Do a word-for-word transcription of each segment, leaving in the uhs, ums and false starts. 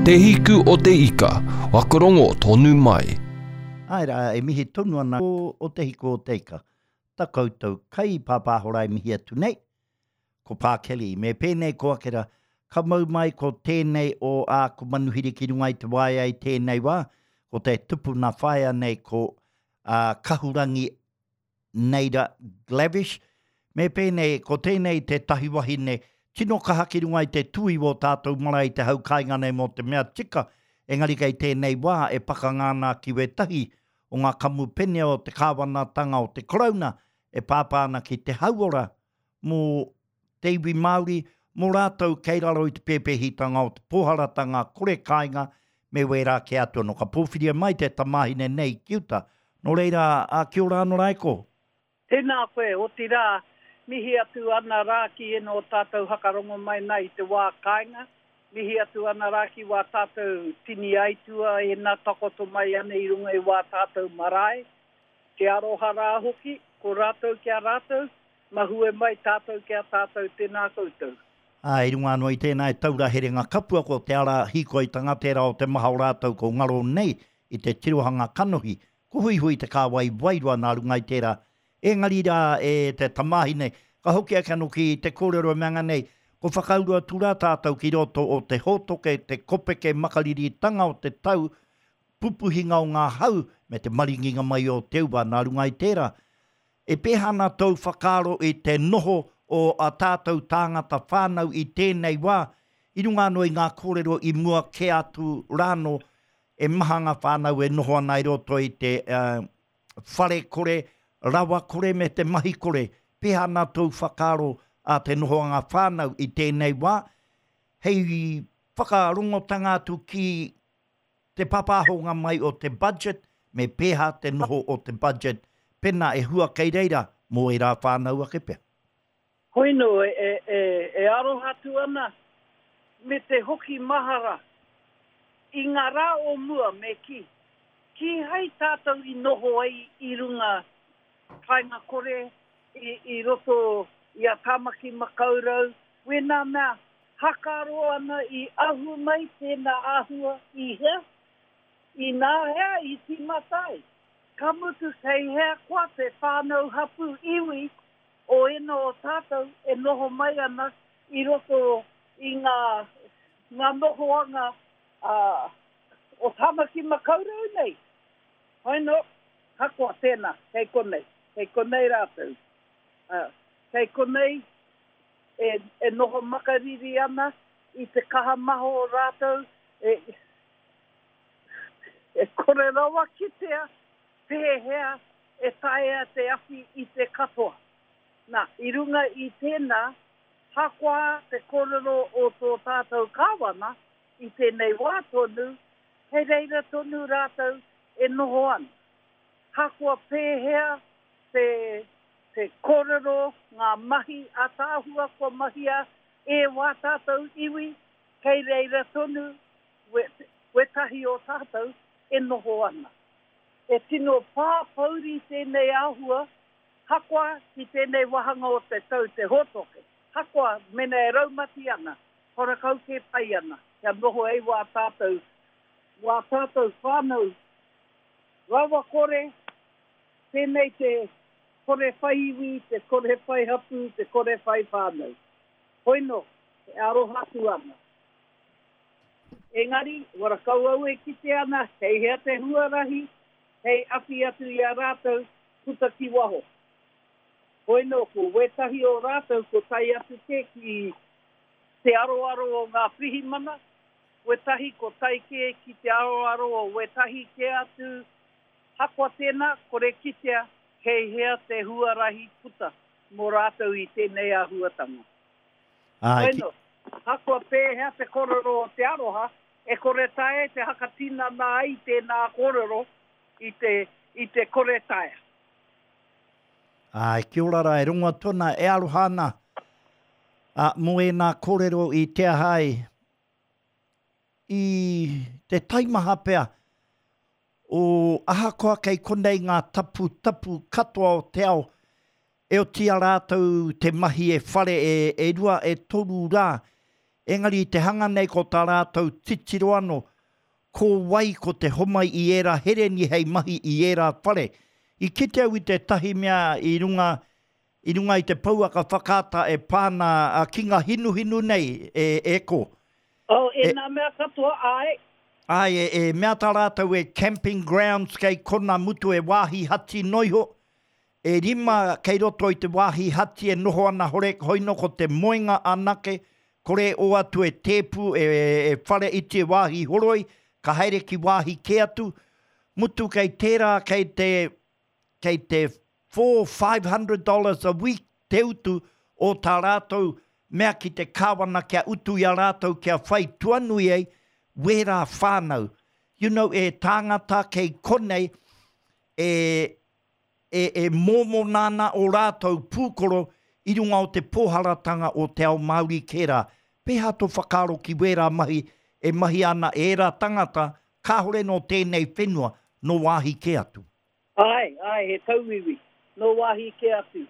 Te Hiku o te Ika, whakarongo tonu mai. Āe rā, e mihi tonu ana o Te Hiku o te Ika. Ta koutou kai pāpāhora e mihi atu nei. Ko Pā Kelly, me pēnei ko Akera, ka mau mai ko tēnei o āku manuhiri ki runga i te waea i tēnei wā, ko te tupuna whaea nei ko uh, Kahurangi Neira Glavish. Me pēnei, ko tēnei tētahi wahine, tino kaha ki runga i te tui o tātou marae i te hau kāinga nei mō te mea tika, engari kei tēnei wā e pakanga ana ki wētahi o ngā kamupene o te kāwanatanga o te Karauna e pāpā ana ki te hauora mō te iwi Māori, mō rātou kei raro i te pēpēhitanga o te pōharatanga kore kāinga me wērā kē atu anō. Ka pōwhiria mai te tamāhine nei ki uta. Nō reira, a, kia ora anō rā e ko. Tēnā koe, otirā, mihi atu ana rā ki ēnā o tātou hakarongo mai nā i te wā kāinga, mihi atu ana rā ki wā tātou tini aitua ēnā takoto mai ana i runga i wā tātou marae, te aroha rā hoki, ko rātou ki a rātou, mahue mai tātou ki a tātou, tēnā koutou. Ā, i runga anō i tēnā e taura herenga kapua ko te ara hīkoitanga tērā o te maha o rātou ko ngaro nei i te tirohanga kanohi, ko huihui te kāwai wairua nā runga i tērā. Engari rā e te tamāhine, ka hoki ake anō ki te kōrero e mea nei, ko whakauru atu rā tātou ki roto o te hōtoke, te kopeke makariritanga o te tau, pupuhinga o ngā hau me te maringinga mai o te ua nā runga i tērā. E pēhea ana tōu whakaaro i te noho o a tātou tāngata whānau i tēnei wā, i runga anō i ngā kōrero i mua kē atu rānō, e maha ngā whānau e noho ana i roto i te uh, whare kore, rawa kore me te mahi kore. Pēhea ana tōu whakaaro a te nohoanga whānau i tēnei wā, hei whakarongotanga atu ki te papāhonga mai o te budget, me pēhea te noho o te budget, pena e hua kei reira mō ērā whānau ake pea. Hoino e, e, e, e aroha atu ana me te hoki mahara i ngā rā o mua me kī. Kīhai tātou i noho ai i runga kāinga kore, i, i roto i a Tāmaki Makaurau, wēnā mea, hakaaro ana i ahu mai tēnā āhua i hea, i nā hea i tīmata ai. Ka mutu kei hea koa te whānau hapū iwi o ēnā o tātou e noho mai ana i roto i ngā, ngā nohoanga uh, o Tāmaki Makaurau nei. Hoino, hakoa tēnā, kei konei, kei konei rātou. Uh, kei konei e, e noho makariri ana i te kaha maha o rātou, e, e kore rawa kitea pēhea e taea te awhi i te katoa. Nā, i runga i tēnā, hakoa te kōrero o tō tātou kāwana i tēnei wā tonu, hei reira tonu rātou e noho ana. Hakoa pēhea te, te kōrero, ngā mahi ātaahua kua mahia e wā tātou iwi, kei reira tonu we, wetahi o tātou e noho ana. E tino pāpouri tēnei āhua, hakoa ki tēnei wāhanga o te tau te hōtoke. Hakoa mena e raumati ana, horakau kē pai ana, kia noho ai wā tātou, wā tātou whānau rawa kore, tēnei te kore whai iwi, te kore whai hapū, te kore whai whānau. Hoino, e aroha atu ana. Engari, warakau au e kite ana, hei hea te huarahi, hei awhi atu i a rātou, puta ki waho. Hoino, ko wētahi o rātou, ko tae atu kē ki te aroaro o ngā pirihimana, wētahi ko tae kē ki te aroaro o wētahi kē atu, hakoa tēnā, kore kitea, kei hea te huarahi puta mō rātou i tēnei āhuatanga. Āe, ki... Hoino, hakoa pēhea te kōrero o te aroha, e kore taea te hakatinana ai tēnā kōrero i te, i te kore taea. Āe, kia ora rā, e rongo atu ana, e aroha ana a, mō ēnā kōrero i te aha ai, i te taimaha pea o ahakoa kei konei ngā taputapu katoa o te ao, E oti a rātou te mahi e whare e, e rua e toru rā. Engari te hanga nei ko tā rātou titiro anō, ko wai ko te homai i ērā hereni hei mahi i ērā whare. I kite au i tētahi mea i runga, i runga i te pouaka whakaata e pā ana ki ngā hinuhinu nei e, e ko. Oh, e, e nā mea katoa, āe. Āe, e, e mea tā rātou e camping grounds kei kona mutu e wāhi hati noiho. E rima kei roto i te wāhi hati e noho ana hore, hoino ko te moenga anake, kore o atu e tēpu, e, e whare iti e wāhi horoi, ka haere ki wāhi kē atu. Mutu kei tērā, kei te, kei te four, five hundred dollars a week te utu o tā rātou mea ki te kāwana kia utu i a rātou kia whai tuanui ai, wērā whānau. You know, e tāngata kei konei, e, e, e mōmona ana o rātou pūkoro i runga o te pōharatanga o te ao Māori kē rā. Pēhā tō whakaaro ki wērā mahi e mahi ana e ērā tangata kāhore nō tēnei whenua, nō wāhi kē atu? Āe, āe, he tauiwi, nō wāhi kē atu.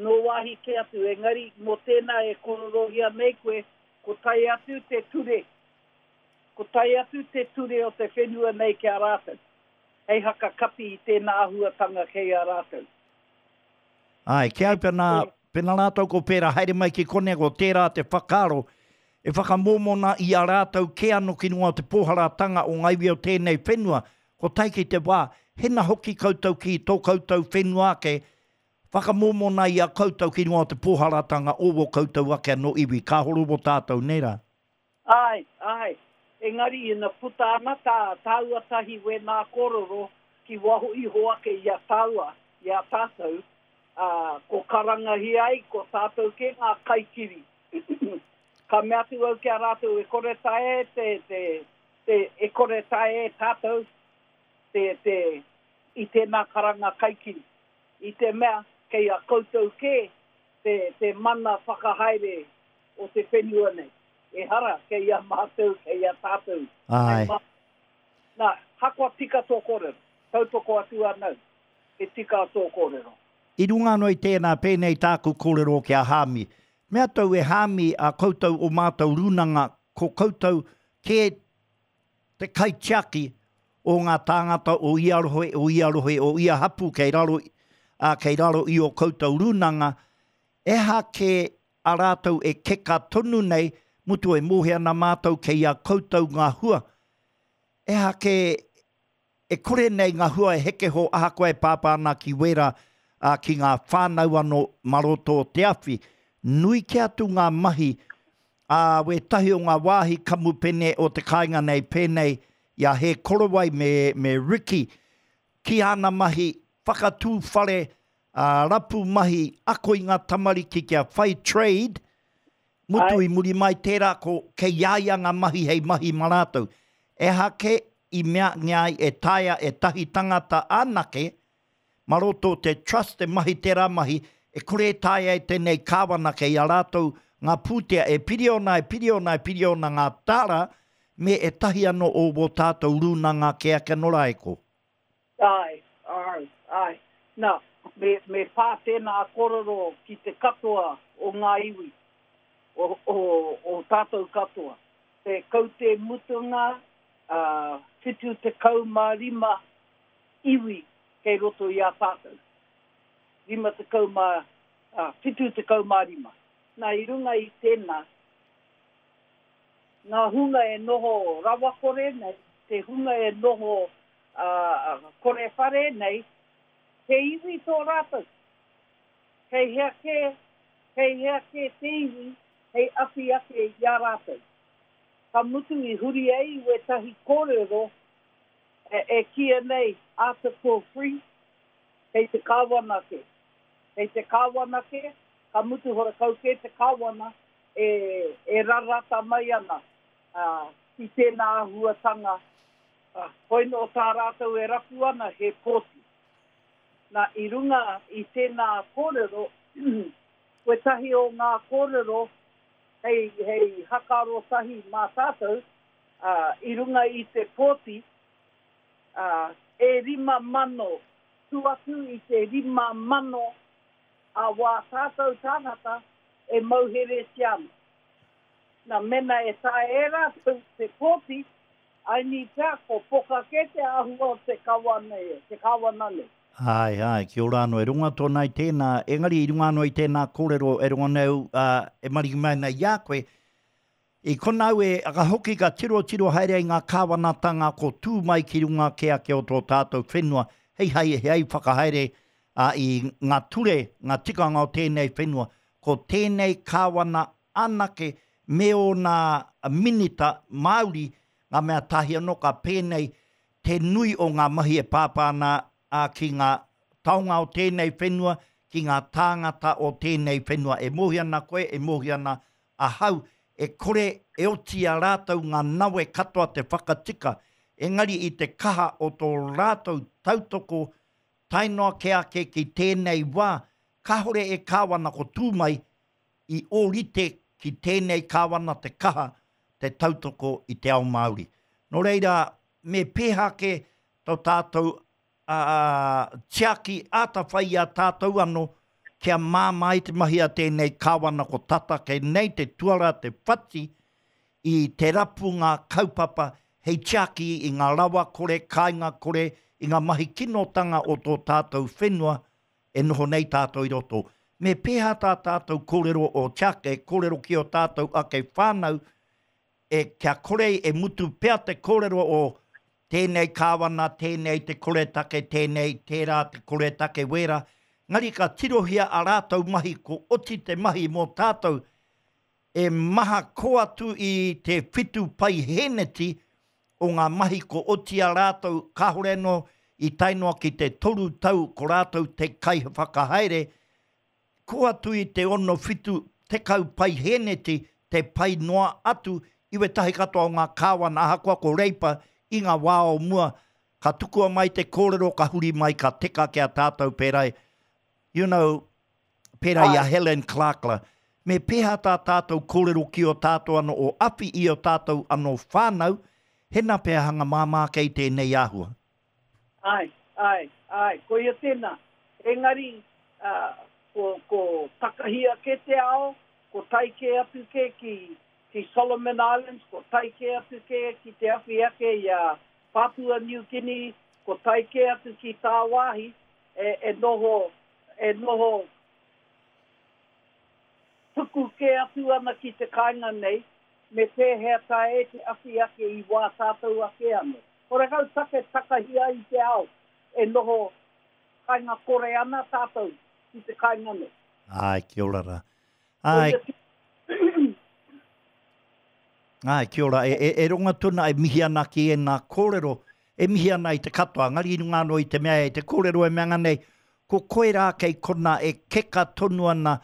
Nō wāhi kē atu, engari mō tēnā e kororohia nei koe, ko tae atu te ture. Ko tae atu te ture o te whenua nei ki a rātou, hei haka kapi i tēnā āhuatanga kei a rātou. Āe, ki au pena, pena rātou ko pērā haere mai ki konei ko tērā te whakaaro e whakamōmona i a rātou kē anō ki runga o te pōharatanga o ngā iwi o tēnei whenua, ko tae ki te wā, hena hoki koutou ki tō koutou whenua ake, whakamōmona i a koutou ki runga o te pōharatanga o wō koutou ake anō iwi, ka horo wō tātou, nē rā? Āe, āe. Engari ina puta ana tā tāua tahi wēnā kōrero ki waho iho ake i a tāua, i a tātou, ā, ko karangahia ai ko tātou kē ngā kaikiri. Ka mea atu au ki a rātou e kore taea e te, te, te, e kore taea e tātou te, te, i tēnā karanga kaikiri. I te mea kei a koutou kē te, te mana whakahaere o te whenua nei. Ehara, kei a mātou, kei a tātou. Āe. Nā, hakoa tika tō kōrero, tautoko atu anau, he tika tō kōrero. I runga anō i tēnā, pēnei tāku kōrero ki a Hāmi. Mea tou e Hāmi, a koutou o mātou rūnanga, ko koutou kē te kaitiaki o ngā tāngata o ia rohe, o ia rohe, o ia hapū kei raro, ā, kei raro i ō koutou rūnanga, ehake a rātou e keka tonu nei, mutu e mōhio ana mātou kei a koutou ngā hua. Ehake e kore nei ngā hua e heke ho ahakoa e pāpā ana ki wērā, ā, ki ngā whānau anō mā roto o te awhi. Nui kē atu ngā mahi a wētahi o ngā wāhi kamupene o te kāinga nei pēnei i a He Korowai me, me Ricky ki āna mahi whakatū whare, ā, rapu mahi, ako i ngā tamariki kia whai trade, mutu i muri mai tērā ko kei a ia ngā mahi hei mahi mā rātou. Ehake i meangia ai e taea e tahi tangata anake, mā roto o te trust e mahi tērā mahi, e kore e taea e tēnei kāwana kei a rātou ngā pūtea e piriona, e piriona, e piriona ngā tāra, me ētahi anō o wō tātou rūnanga kē ake anō rā e ko. Āe, āe, āe. Nā, me, me pā tēnā kōrero ki te katoa o ngā iwi, o, o, o tātou katoa. Te kaute mutunga, ā, whitu tekau mā rima iwi kei roto i a tātou. Rima tekau mā, ā, whitu tekau mā rima. Nā, i runga i tēnā, ngā hunga e noho rawakore nei, te hunga e noho ā, kore whare nei, he iwi tō rātou. Kei hea kē, kei hea kē te iwi hei awhi ake i a rātou. Ka mutu i huri ai wētahi kōrero e, e kīia nei Article three, kei te kāwana kē. Kei te kāwana kē, ka mutu horakau kē te kāwana e, e rarata mai ana ā, ki tēnā āhuatanga, ā, hoi nō tā rātou e rapu ana he pōti. Nā, i runga i tēnā kōrero, wētahi o ngā kōrero hei, hei hakaaro tahi mā tātou, ā, i runga i te pōti, ā, e rima mano, tu atu i te rima mano a wā tātou tāngata e mauheretia ana. Nā, mena e taea e rātou te kōti, aini pea ko poka kē te āhua o te kawa nei, te kāwana nei. Āe, āe, kia ora anō. E rongo atu ana i tēnā, engari i runga anō i tēnā kōrero e rongo nei au, ā, e maringi mai ana i a koe, i konā au e, ka hoki ka tirotiro haere ai ngā kāwanatanga ko tū mai ki runga kē ake o tō tātou whenua, hei hai, hei whakahaere, ā, i ngā ture, ngā tikanga o tēnei whenua. Ko tēnei kāwana anake me ōna minita Māori, ngā mea tahi anō ka pēnei te nui o ngā mahi e pāpā ana ā, ki ngā taonga o tēnei whenua, ki ngā tāngata o tēnei whenua. E mōhio ana koe, e mōhio ana ahau, e kore e oti i a rātou ngā nawe katoa te whakatika, engari i te kaha o tō rātou tautoko tae noa kē ake ki tēnei wā, kāore e kāwana ko tū mai i ōrite ki tēnei kāwana te kaha te tautoko i te ao Māori. Nō reira, me pēhea ake tō tātou tiaki āta whai i a tātou anō kia māmā ai te mahi a tēnei kāwana ko tata kei nei te tuara te whati i te rapunga kaupapa hei tiaki i ngā rawa kore, kāinga kore, i ngā mahi kinotanga o tō tātou whenua e noho nei tātou i roto. Me pēhea tā tātou kōrero o tiaki, e kōrero ki ō tātou ake whānau, e kia kore e mutu pea te kōrero o tēnei kāwana, tēnei te koretake, tēnei, tērā te koretake wērā. Engari ka tirohia a rātou mahi, ko oti te mahi mō tātou, e maha kō atu i te whitu paihēneti o ngā mahi ko oti a rātou, kāore anō i tae noa ki te toru tau ko rātou te kaiwhakahaere, kō atu i te ono whitu tekau paihēneti te pai noa atu i wētahi katoa o ngā kāwana ahakoa ko Reipa i ngā wā o mua ka tukua mai te kōrero ka huri mai ka teka ki a tātou pērā i you know pērā i a Helen Clark la. Me pēhea tā tātou kōrero ki ō tātou anō o awhi i ō tātou anō whānau, hena pea hanga māmā kei tēnei āhua. Āe, āe, āe, koia tēnā. Engari, ā, ko, ko takahia kē te ao, ko tae kē atu kē ki, ki Solomon Islands, ko tae kē atu kē ki te awhi ake i a Papua New Guinea, ko tae kē atu ki tāwāhi, e, e noho, e noho tuku kē atu ana ki te kāinga nei, me pēhea taea e te awhi ake i wā tātou ake anō. Horekau take takahi ai i te ao e noho kāinga kore ana tātou ki te kāinga nei. Āe, kia ora rā. Āe. Āe, kia ora. E, e, e ronga tonu e mihi ana ki ēnā kōrero, e mihi ana i te katoa, engari i runga anō i te mea e te kōrero e mea nei, ko koe rā kei konā e keka tonu ana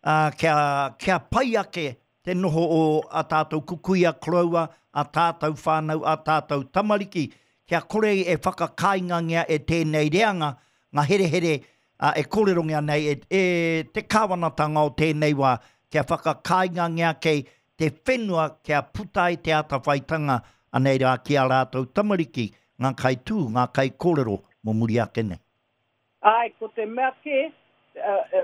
ā, kia, kia pai ake te noho o ā tātou kukuia koroua, ā tātou whānau, ā tātou tamariki, kia kore e whakakāingangia e tēnei reanga ngā herehere ā, e kōrerongia nei e, e te kāwanatanga o tēnei wā, kia whakakāingangia kei te whenua kia puta ai te atawhaitanga anei rā ki ā rātou tamariki, ngā kaitū, ngā kaikōrero mō muri ake nei. Āe, ko te mea kē,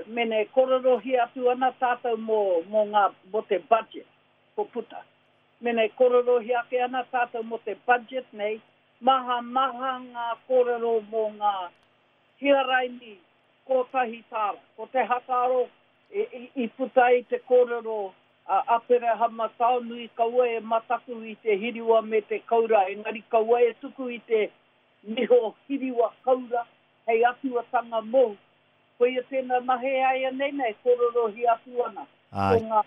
mene e kōrerohia atu ana tātou mō, mō ngā, mō te budget ko puta. Mene e kōrerohia ake ana tātou mō te budget nei, maha, maha ngā kōrero mō ngā hiaraini kōtahi tāra. Ko te hakaaro i, i, i puta ai te kōrero a Aperahama Taonui kaua e mataku i te hiriwa me te koura, engari kaua e tuku i te niho hiriwa koura hei atuatanga mōu. Koia tēnā nahe āianei nei e kōrerohia atu ana ko ngā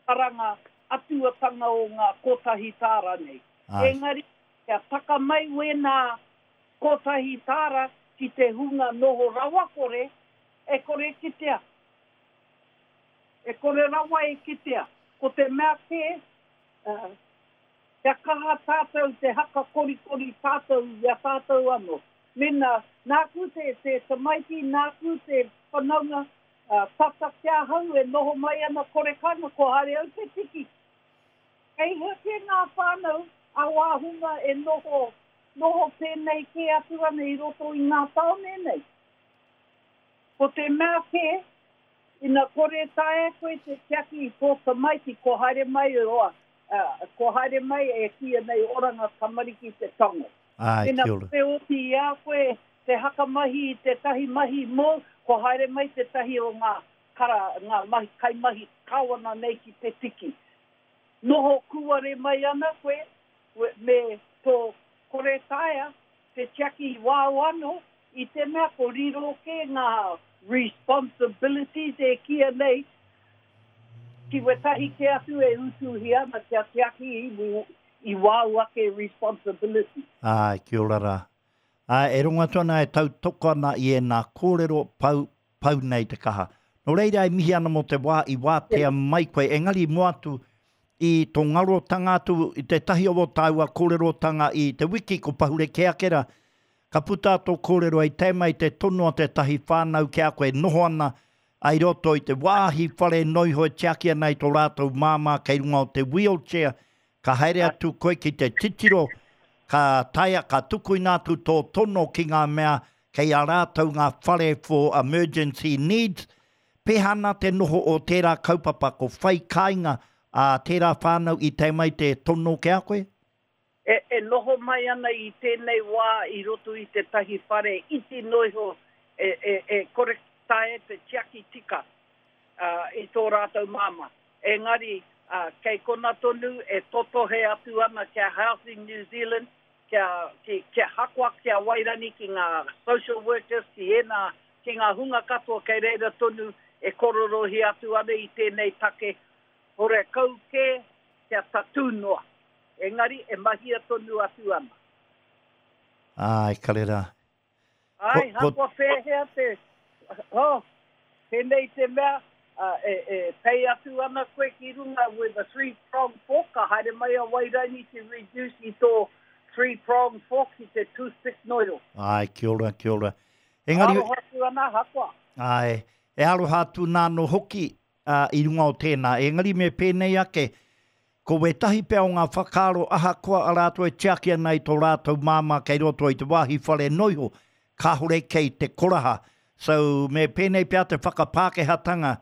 karanga atuatanga o ngā kotahi tāra nei. Engari, kia taka mai wēnā kotahi tāra ki te hunga noho rawakore, e kore kitea. E kore rawa e kitea. Ko te mea kē, kia kaha tātou te haka korikori tātou i a tātou anō. Mēnā, nāku te, te tamaiti, nāku te whanaunga, tata ki ahau e noho mai ana kore kāinga, ko haere au te tiki. Kei hea kē ngā whānau a wā hunga e noho, noho pēnei kē atu ana i roto i ngā tāone nei. Ko te mea kē, Ina kore taea koe te tiaki i tō tamaiti, ko haere mai roa, uh, ko haere mai e kīia nei oranga tamariki te tango. Ai, Ina kia ora. kore oti i a koe te hakamahi i tētahi mahi mōu, ko haere mai tētahi o ngā kara, ngā mahi, kaimahi kāwana nei ki te tiki. Noho kūare mai ana koe, me tō kore taea te tiaki i wāu anō, i te mea ko riro kē ngā responsibilities e kīia nei, ki wetahi ke atu e utuhi ana kia tiaki i, i wāu ake responsibility. Ai, kia ora rā. Ai, e rongo atu ana e tautoko ana i ēnā kōrero pau, pau nei te kaha. Nō reira e mihi ana mō te wā i wātea mai koe, engari mua atu i tō ngarotanga atu i tētahi o tāua kōrerotanga i te wiki ko pahure kē ake rā, ka puta tō kōrero i tae mai te tono a tētahi whānau ki a koe noho ana ai roto i te wāhi whare noiho e tiaki ana i tō rātou māmā kei runga o te wheelchair, ka haere atu koe ki te titiro, ka taea, ka tukuina atu tō tono ki ngā mea kei a rātou ngā whare for emergency needs. Pēhea ana te noho o tērā kaupapa ko whai kāinga a tērā whānau i tae mai te tono ki a koe? E, e noho mai ana i tēnei wā i roto i tētahi whare iti noiho e, e, e kore taea te tiaki tika uh, i tō rātou māmā. Engari, uh, kei kona tonu e totohe atu ana kia Housing New Zealand, kia, ki, kia hakoa, kia wairani ki ngā social workers, ki ēnā, ki ngā hunga katoa kei reira tonu e kororohi atu ana i tēnei take, hore kau kē kia tatū noa. Engari e mahia tonu atu ana. Ai, kare rā. Ai, Ko- ko- hakoa whēhea te, oh, tēnei te mea, uh, e, e pei atu ana koe ki runga with a three-prong fork, ka haere mai a Wairani te reduce i tō three-prong fork ki te toothpick noiro. Ai, kia ora, kia ora. Engari, Aroha atu ana, hakoa. ai, e aroha atu nā no hoki uh, i runga o tēnā. Engari me pēnei ake, ko wētahi pea o ngā whakaaro ahakoa a rātou e tiaki ana i tō rātou māmā kei roto i te wāhi whare noiho, kāhore kei te koraha. So me pēnei pea te whakapākehātanga,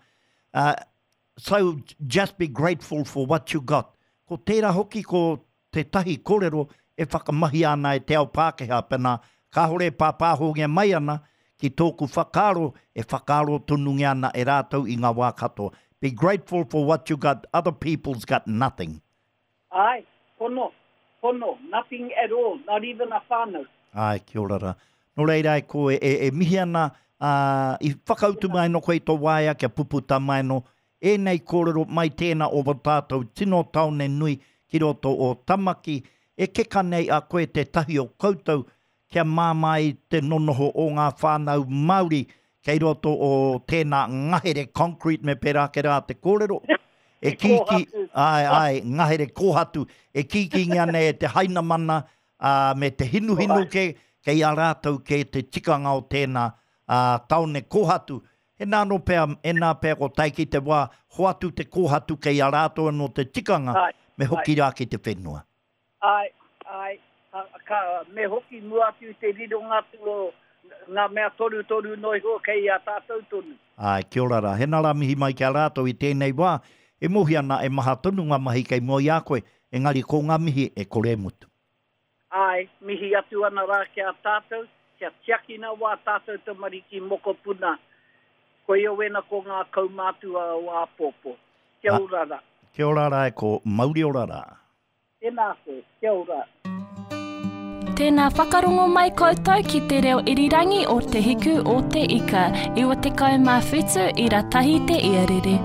uh, so just be grateful for what you got. Ko tērā hoki ko tētahi kōrero e whakamahia ana e te ao Pākehā, pēnā kāhore e pāpāhongia mai ana ki tōku whakaaro e whakaaro tonungia ana e rātou i ngā wā katoa. Be grateful for what you got, other people's got nothing. Ai, pono, pono, nothing at all, not even a whānau. Ai, kia ora rā. Nō reira e koe, e, e mihi ana, uh, i whakautu mai no koe i tō waea kia puputa mai no, ēnei kōrero mai tēnā o wā tātou tino taone nui ki roto o Tamaki, e keka nei a koe tētahi o koutou kia māmā i te nonoho o ngā whānau Māori kei roto o tēnā ngahere concrete me pērā ke rā te kōrero. E kīki, ai, ai, ngahere kōhatu, e kīkingia nei e te hainamana uh, me te hinuhinu ke, kei a rātou ke te tikanga o tēnā uh, taone kōhatu. E nā no pea, e nā pea ko tae ki te wā, hoatu te kōhatu kei a rātou anō te tikanga, Ai, me hoki rā ki te whenua. Ai, ai, ka, ka, me hoki mua atu te rironga atu o ngā mea toru toru noiho kei a tātou tonu. Ai, kia ora rā. Hena rā mihi mai ki a rātou i tēnei wā, e mohi ana e maha tonu ngā mahi kei mua i a koe, engari ko ngā mihi e kore mutu. Ai, mihi atu ana rā ki a tātou, kia tiakina wā tātou tamariki mokopuna. Koia wena ko ngā kaumātua o āpōpō. Kia ora rā. Kia ora rā e ko mauri ora rā. Tēnā koe, kia ora. Tēnā whakarongo mai koutou ki te reo irirangi o Te Hiku o Te Ika, iwa tekau mā whitu ira tahi te iarere.